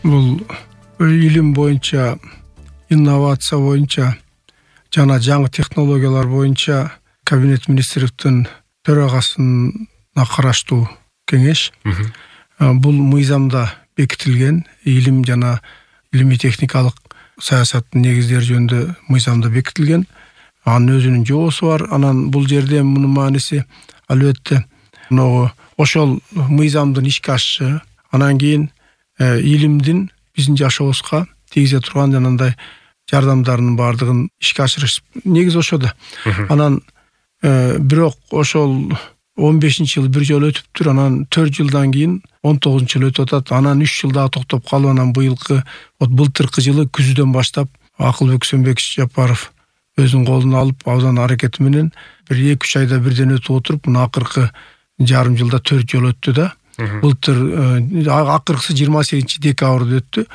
Бул илим боюнча, инновация боюнча жана жаңы технологиялар боюнча Кабинет министрликтин төрагасына караштуу кеңеш. Бул мыйзамда бекитилген илим жана илимий техникалык саясаттын негиздери жөнүндө мыйзамда бекитилген. Анын өзүнүн жоосу бар. Анан бул жерде мунун мааниси албетте ошол мыйзамдын ишке ашышы, анан кийин илимдин биздин жашообузга тийгизе турган жанагындай жардамдарынын баардыгын ишке ашырыш негизи ошодо. Анан бирок ошол 15-жыл бир жолу өтүптүр. Анан 4 жылдан кийин 19-жыл өтүп атат. Анан 3 жыл дагы токтоп калып, анан былтыркы жылы күздөн баштап Акылбек Сөнбеков Жапаров өзүнүн колуна алып, абдан аракети менен бир 2-3 айда бирден өтүп отуруп, мына акыркы жарым жылда 4 жол өттү да. Былтыр акыркысы 28 декабрда өттү.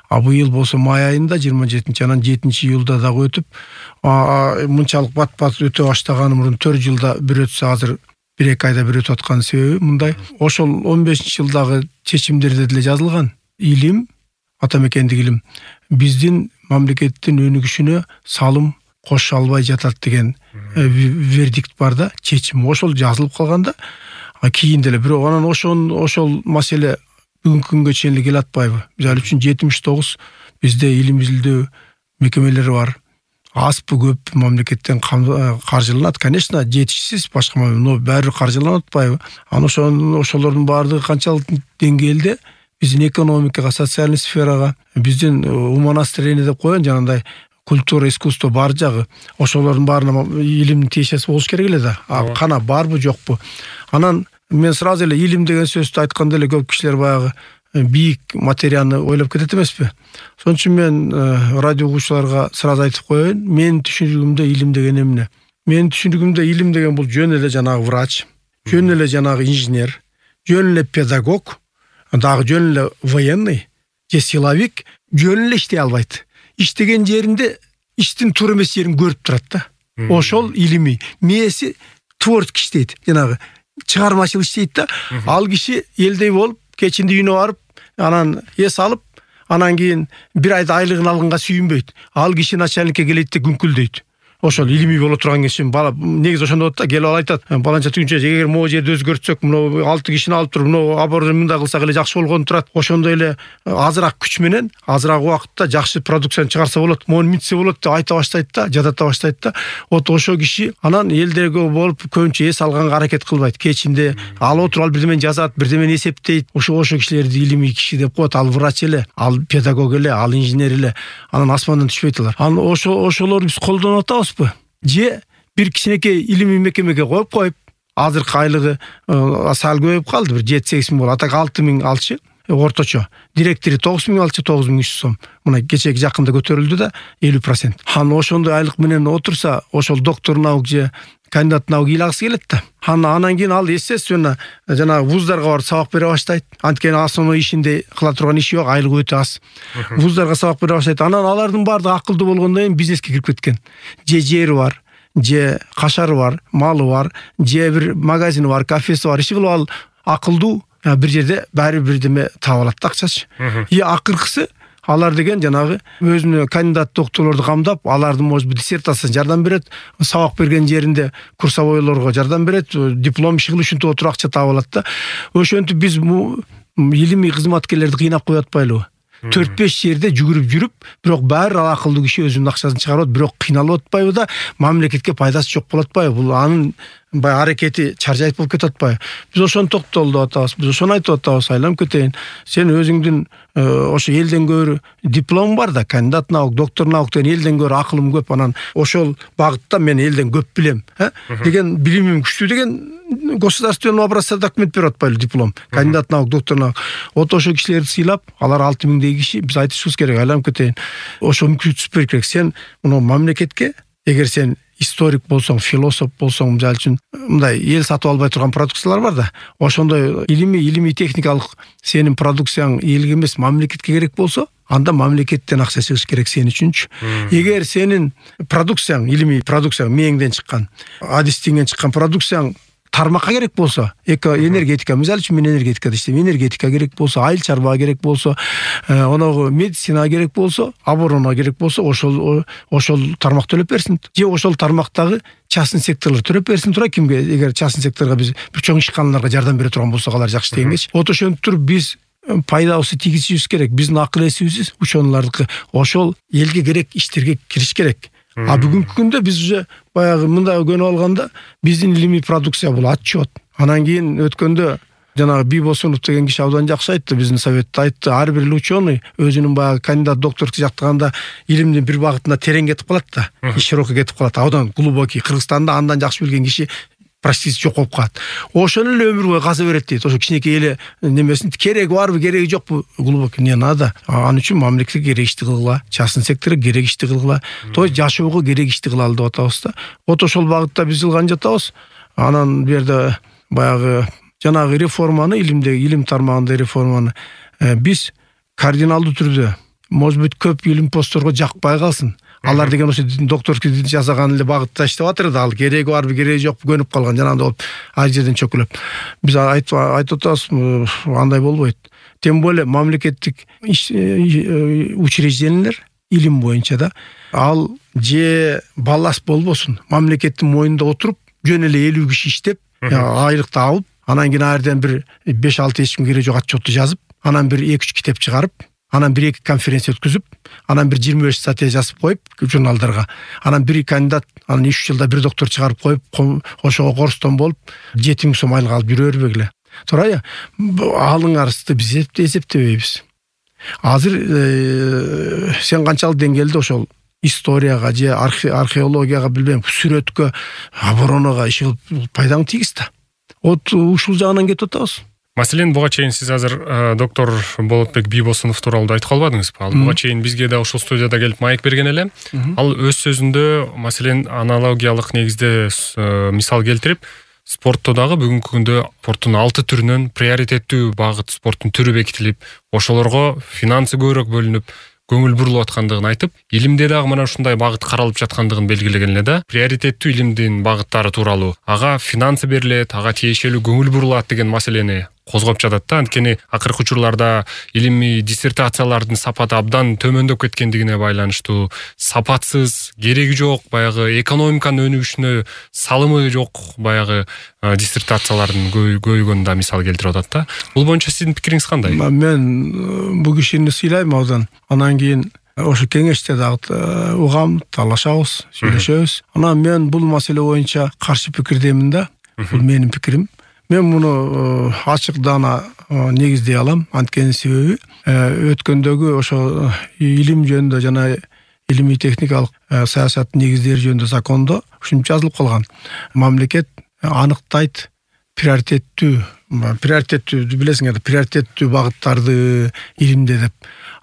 Быйыл болсо май айында 27, анан 7-июлда дагы өтүп, мынчалык бат-бат өтө баштаганы мурун 4 жылда бир өтсө, азыр 1-2 айда бир өтүп аткан себеби мындай. Ошол 15-жылдагы чечимдерде деле жазылган. Илим, ата мекендик илим биздин мамлекеттин өнүгүшүнө салым кошу албай жатат деген вердикт бар да, чечим. Ошол жазылып калганда кийин деле бирок анан ошол маселе бүгүнкү күнгө чейин эле келе атпайбы? Мисалы үчүн 79 бизде илим изилдөө мекемелери бар. Азбы көп мамлекеттен каржыланат, конечно, жетишсиз башка, но баары каржыланып атпайбы? Анан ошолордун баардыгы канчалык деңгээлде биздин экономикага, социальный сферага, биздин умонастроение деп коен жанагындай культура, искусство бар жагы, ошолордун баарына илимдин тиешеси болуш керек эле да. Кана барбы, жокпу? Анан мен сразу эле илим деген сөздү айтканда эле көп кишилер баягы бийик материяны ойлоп кетет эмеспи? Ошон үчүн мен радио угуучуларга сразу айтып коеюн, менин түшүнүгүмдө илим деген эмне? Менин түшүнүгүмдө илим деген бул жөн эле жанагы врач, жөн эле жанагы инженер, жөн эле педагог, дагы жөн эле военный же силовик жөн эле иштей албайт. Иштеген жеринде иштин туура эмес жерин көрүп турат да. Ошол илимий. Мээси творческий иштейт, жанагы чыгармачыл иштейт да. Ал киши элдей болуп, кечинде үйүнө барып, анан эс алып, анан кийин бир айда айлыгын алганга сүйүнбөйт. Ал киши начальникке келет да күңкүлдөйт. Ошол илимий боло турган киши бала негизи ошондо болот да, келип айтат, баланча түгүнчө эгер могу жерди өзгөртсөк, мына 6 кишини алып туруп, мына абордон мындай кылсак эле жакшы болгон турат. Ошондой эле азыраак күч менен, азыраак убакытта жакшы продукцияны чыгарса болот, мону мынтсе болот деп айта баштайт да, жадата баштайт да. Ошол киши анан элдерге болуп көбүнчө эс алганга аракет кылбайт. Кечинде ал отуруп, ал бирдемени жазат, бирдемени эсептейт. Ошол кишилерди илимий киши деп коет. Ал врач эле, ал педагог эле, ал инженер эле. Анан асмандан түшпөйт алар. Анан ошолорду биз колдонуп атабызбы? Же бир кичинекей илимий мекемеге коюп, азыркы айлыгы сал көбөйүп калды, бир 7-8 миң болот. Атак 6 миң алчы, орточо. Директору 9 миң алчы, 9300 сом. Мына кечеги жакында көтөрүлдү да 50%. Анан ошондой айлык менен отурса, ошол доктор наук же кандидат наук ыйлагысы келет да. Анан кийин ал естественно жанагы вуздарга барып сабак бере баштайт. Анткени основной ишинде кыла турган иши жок, айлыгы өтө аз. Вуздарга сабак бере баштайт. Анан алардын баардыгы акылдуу болгондон кийин бизнеске кирип кеткен. Же жери бар, же кашары бар, малы бар, же бир магазини бар, кафеси бар. Иши кылып ал акылдуу бир жерде баары бирдеме таап алат да, акчачы. Акыркысы алар деген жанагы өзүнө кандидат докторлорду камдап, алардын может диссертациясына жардам берет, сабак берген жеринде курсовойлорго жардам берет, диплом иши кылып ушинтип отуруп акча таап алат да. Ошентип биз илимий кызматкерлерди кыйнап коюп атпайлыбы? 4-5 жерде жүгүрүп жүрүп, бирок баары ал акылдуу киши өзүнүн акчасын чыгарып, бирок кыйналып атпайбы да, мамлекетке пайдасы жок болуп атпайбы? Бул анын баягы аракети чаржайт болуп кетип атпайбы? Биз ошону токтолдуп атабыз, биз ошону айтып атабыз, айланып кетейин. Сен өзүңдүн ошо элден көрү диплом бар да, кандидат наук, доктор науктан элден көрү акылым көп, анан ошол багытта мен элден көп билем, деген билимим күчтүү деген государственного образца документ берип атпайлы диплом, кандидат наук, доктор наук. Ошол кишилерди сыйлап, алар 6 миңдей киши, биз айтышыбыз керек, айланып кетейин. Ошо мүмкүнчүлүк бериш керек. Сен муну мамлекетке, эгер сен историк болсоң, философ болсоң, мисалы үчүн мындай эл сатып албай турган продукциялар бар да. Ошондой илимий техникалык сенин продукцияң элге эмес, мамлекетке керек болсо, анда мамлекеттен акча чыгыш керек сен үчүнчү. Эгер сенин продукцияң, илимий продукцияң мээңден чыккан, адистиңден чыккан продукцияң тармакка керек болсо, энергетика, мисалы үчүн мен энергетикада иштейм, энергетика керек болсо, айыл чарба керек болсо, оногу медицина керек болсо, оборона керек болсо, ошол тармак төлөп берсин. Же ошол тармактагы частный секторлор төлөп берсин тура, кимге, эгер частный секторго биз чоң ишканаларга жардам бере турган болсок, алар жакшы дегенбечи. Вот ошентип туруп биз пайдабызды тийгизишибиз керек. Биздин акыл эсибиз ученыйлардыкы ошол элге керек иштерге кириш керек. А бүгүнкү күндө биз уже баягы мындай көнүп алганда биздин илимий продукция бул отчет. Анан кийин өткөндө жанагы Бибосунов деген киши абдан жакшы айтты, биздин советте айтты, ар бир ученый өзүнүн баягы кандидат докторлук жактаганда илимдин бир багытына терең кетип калат да, широко кетип калат, абдан глубокий. Кыргызстанда андан жакшы билген киши практически жок болуп калат. Ошону эле өмүр бою каза берет дейт. Ошо кичинекей эле немесин кереги барбы, кереги жокпу, глубокий не надо. Ал үчүн мамлекетке керек ишти кылгыла, частный секторго керек ишти кылгыла, то жашоого керек ишти кылалы деп атабыз да. Вот ошол багытта биз жылган жатабыз. Анан бу жерде баягы жанагы реформаны, илим тармагындагы реформаны биз кардиналдуу түрдө, может быть, көп илим постторго жакпай калсын. Алар деген ошо докторский жасаган эле багытта иштеп атыр да, ал кереги барбы, кереги жокпу көнүп калган, жанагындай болуп, ар жерден чөкүлөп. Биз айтып атабыз, андай болбойт. Тем более мамлекеттик учреждениялер илим боюнча да, ал же балласт болбосун, мамлекеттин мойнунда отуруп, жөн эле 50 киши иштеп, айлыкты алып, анан кийин арден бир 5-6 эч ким кереги жок отчетту жазып, анан бир 2-3 китеп чыгарып, анан 1-2 конференция өткүзүп, анан бир 25 статья жазып коюп журналдарга, анан бир кандидат, анан 3 жылда бир доктор чыгарып коюп, ошого корстон болуп 7000 сом айлык алып жүрө бербек эле. Туура, алыңарызды биз эсептебейбиз. Азыр сен канчалык деңгээлде ошол историяга же археологияга, билбейм, сүрөткө, оборонага иши пайдаң тийгиз да. Вот ушул жагынан кетип атабыз. Маселен, буга чейин сиз азыр доктор Болотбек Бибосунов тууралуу айтып калбадыңызбы? Ал буга чейин бизге да ушул студияда келип маек берген эле. Ал өз сөзүндө, маселен, аналогиялык негизде мисал келтирип, спортто дагы бүгүнкү күндө спорттун 6 түрүнөн приоритеттүү багыт спорттун түрү бекитилип, ошолорго финансы көбүрөөк бөлүнүп, көңүл бурулуп аткандыгын айтып, илимде дагы мына ушундай багыт каралып жаткандыгын белгилеген эле да. Приоритеттүү илимдин багыттары тууралуу, ага финансы берилет, ага тиешелүү көңүл бурулат деген маселени козгоп жатат да. Анткени акыркы учурларда илимий диссертациялардын сапаты абдан төмөндөп кеткендигине байланыштуу, сапатсыз, кереги жок, баягы экономиканын өнүгүшүнө салымы жок баягы диссертациялардын көбөйгөнүн да мисал келтирип атат да. Бул боюнча сиздин пикириңиз кандай? Мен бул кишини сыйлайм абдан. Анан кийин ошо кеңеште дагы угам, талашабыз, сүйлөшөбүз. Анан мен бул маселе боюнча каршы пикирдемин да. Бул менин пикирим. Мен муну ачык даана негиздей алам. Анткени себеби өткөндөгү ошо илим жөнүндө жана илимий техникалык саясаттын негиздери жөнүндө закондо ушинтип жазылып калган. Мамлекет аныктайт приоритеттүү билесиңер, приоритеттүү багыттарды илимде деп.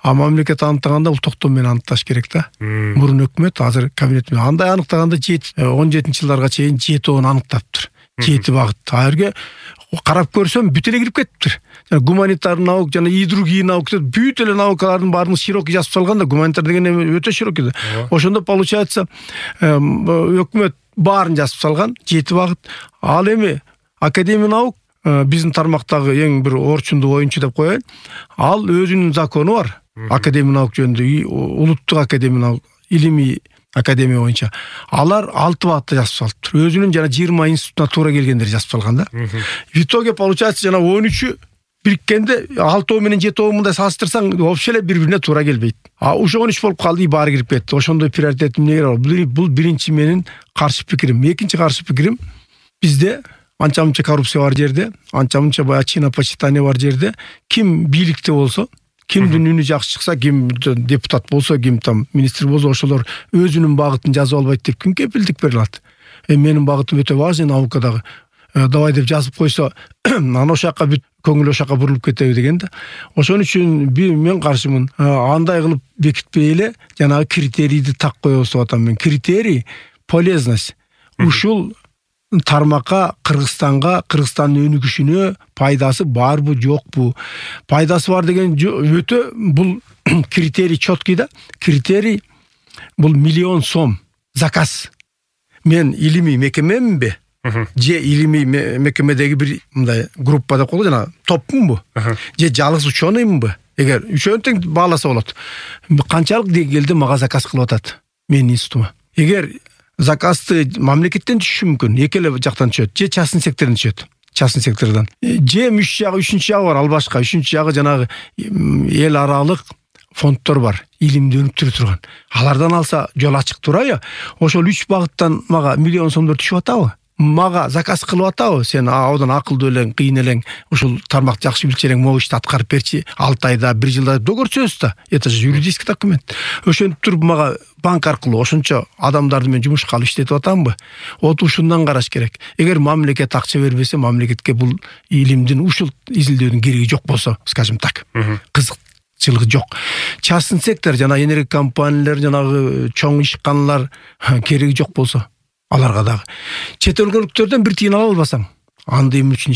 А мамлекет аныктаганда бул токтом менен аныкташ керек да. Мурун өкмөт азыр кабинет менен андай аныктаганда 17-жылдарга чейин 7 аныктаптыр. 7 багыт. Айырге карап көрсөм бүт эле кирип кетиптир. Гуманитарный наук жана и другие наука, бүт эле наукалардын баарын широкий жазып салган да. Гуманитар деген өтө широкий да. Ошондо получается өкмөт баарын жазып салган 7 багыт. Ал эми академия наук биздин тармактагы эң бир орчундуу оюнчу деп коеюн. Ал өзүнүн закону бар. Академия наук жөнүндө, улуттук академия наук, илимий академия боюнча. Алар 6 багытта жазып салыптыр. Өзүнүн жана 20 институтуна туура келгендер жазып салган да. В итоге получается жана 13 бириккенде 6 менен 7 мындай салыштырсаң вообще эле бири-бирине туура келбейт. А ушу 13 болуп калды, баары кирип кетти. Ошондой приоритет эмне бар? Бул биринчи менин каршы пикирим. Экинчи каршы пикирим, бизде анча-мынча коррупция бар жерде, анча-мынча баягы чинопочитание бар жерде, ким бийликте болсо, кимдин үнү жакшы чыкса, ким депутат болсо, ким там министр болсо, ошолор өзүнүн багытын жазып албайт деп ким кепилдик бере алат? Менин багытым өтө важный наукадагы. Давай деп жазып койсо, анан ошол жака бүт көңүл ошол жака бурулуп кетеби деген да. Ошон үчүн мен каршымын. Андай кылып бекитпей эле жанагы критерийди так коебуз деп атам мен. Критерий полезность. Ушул тармакка, Кыргызстандын өнүгүшүнө пайдасы барбы, жокпу? Пайдасы бар деген өтө бул критерий чёткий да. Критерий бул 1 000 000 сом заказ. Мен илимий мекемемби? же илимий мекемедеги бир мындай группа деп коелу, жана топпунбу, же жалгыз ученыймынбы? Эгер үчөөнү тең бааласа болот. Канчалык деңгээлде мага заказ кылып атат менин институтума? Эгер заказды мамлекеттен түшүшү мүмкүн, эки эле жактан түшөт, же частный сектордон түшөт. Частный сектордон. Же жагы, үчүнчү жагы бар, ал башка. Үчүнчү жагы жанагы эл аралык фонддор бар, илимди өнүктүрө турган. Алардан алса жол ачык турайы. Ошол 3 багыттан мага миллион сомдор түшүп атабы? Мага заказ кылып атабы? Сен одан акылдуу элең, кыйын элең, ушул тармакты жакшы билчерең, могу ишти аткарып берчи, 6 айда, 1 жылда догөрсөз да. Это же юридический документ. Ошентип туруп мага банк аркылуу ошончо адамдарды мен жумушка алып иштетип атамбы? Ушундан караш керек. Эгер мамлекет акча бербесе, мамлекетке бул илимдин ушул изилдөөнүн кереги жок болсо, скажем так. Кызыкчылыгы жок. Частный сектор, жана энергия компаниялар, жанагы чоң ишканалар кереги жок болсо, аларга дагы. Чет өлкөлүктөрдөн бир тыйын ала албасаң, анда эмне үчүн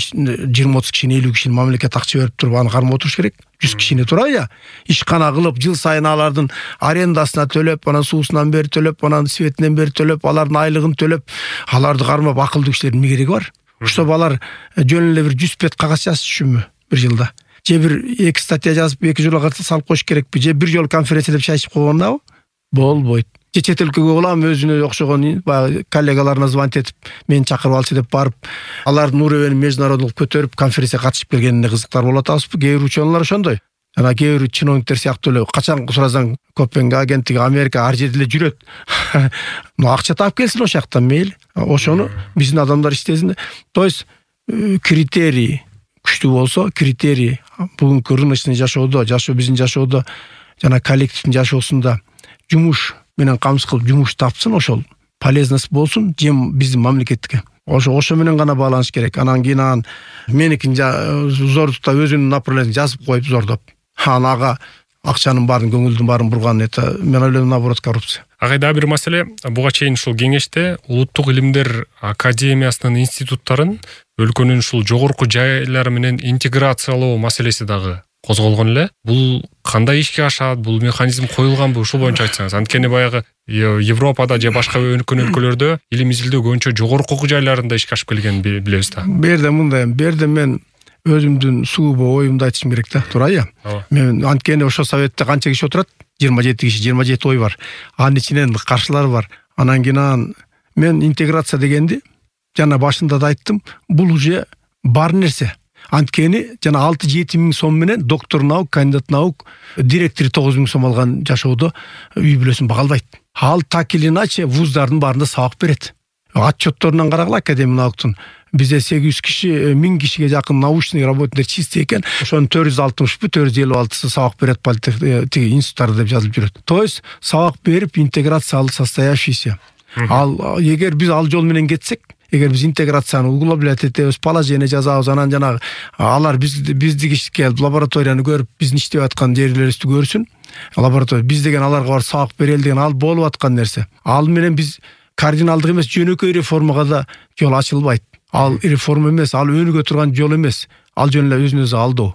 20-30 кишини, 50 кишини мамлекет акча берип туруп аны кармап отуруш керек? 100 кишини турайы, ишкана кылып, жыл сайын алардын арендасына төлөп, анан суусунан бери төлөп, анан светинен бери төлөп, алардын айлыгын төлөп, аларды кармап акылдуу кишилердин эмне кереги бар? Ошто алар жөн эле бир 100 бет кагаз жазышчүмү бир жылда? Же бир 2 статья жазып, 2 жолго салып коюш керекпи? Же бир жол конференция деп шайышып койгондабы? Болбойт. Же чет өлкөгө улам өзүнө окшогон баягы коллегаларына звонить этип, мени чакырып алчы деп барып, алардын уровенин международдук көтөрүп, конференцияга катышып келгенине кызыктар болуп атабызбы? Кээ бир ученыйлар ошондой. Жана кээ бир чиновниктер сыяктуу эле качан сурасаң, Копенгаген, Америка ар жерде эле жүрөт. Акча таап келсин ошол жактан мейли. Ошону биздин адамдар иштесин. То есть критерий күчтүү болсо, критерий бүгүнкү рыночный жашоодо, биздин жашоодо жана коллективдин жашоосунда жумуш менен камсыз кылып жумуш тапсын, ошол полезность болсун, жем биздин мамлекетке. Ошо менен гана байланыш керек. Анан кийин меникин зордукта өзүнүн направлениесин жазып коюп зордоп, ага акчанын баарын, көңүлдүн баарын бурган, это мен ойлойм, наоборот, коррупция. Агай дагы бир маселе, буга чейин ушул кеңеште Улуттук илимдер академиясынын институттарын өлкөнүн ушул жогорку жайлары менен интеграциялоо маселеси дагы козголгон эле. Бул кандай ишке ашат, бул механизм коюлганбы, ушул боюнча айтсаңыз? Анткени баягы Европада же башка өлкөлөрдө илим изилдөө көбүнчө жогорку жайларында ишке ашып келгенин билебиз да. Берде мындай, мен өзүмдүн сугубу оюмду айтышым керек да, турайы. Мен анткени ошо советте канча киши отурат? 27 киши, 27 ой бар. Анын ичинен каршылар бар. Анан кийин мен интеграция дегенди жана башында да айттым, бул уже бар нерсе. Анткени жана 6-7 миң сом менен доктор наук, кандидат наук, директор 9 миң сом алган жашоодо үй бүлөсүн бага албайт. Ал так или иначе вуздардын баарында сабак берет. Отчетторунан карагыла академия науктун. Бизде 800 киши, 1000 кишиге жакын научный работниктер чисти экен. Ошонун 460 456 сабак берет тиги институттарда деп жазылып жүрөт. То есть сабак берип интеграциялы состоявшийся. Ал эгер биз ал жол менен кетсек, эгер биз интеграцияны углублять этебиз, положение жазабыз, анан жанагы алар биздики келип лабораторияны көрүп, биздин иштеп аткан жерлерибизди көрсүн. Лаборатория биз деген аларга бар сабак берели деген ал болуп аткан нерсе. Ал менен биз кардиналдык эмес, жөнөкөй реформага да жол ачылбайт. Ал реформа эмес, ал өнүгө турган жол эмес. Ал жөн эле өзүн өзү алдоо.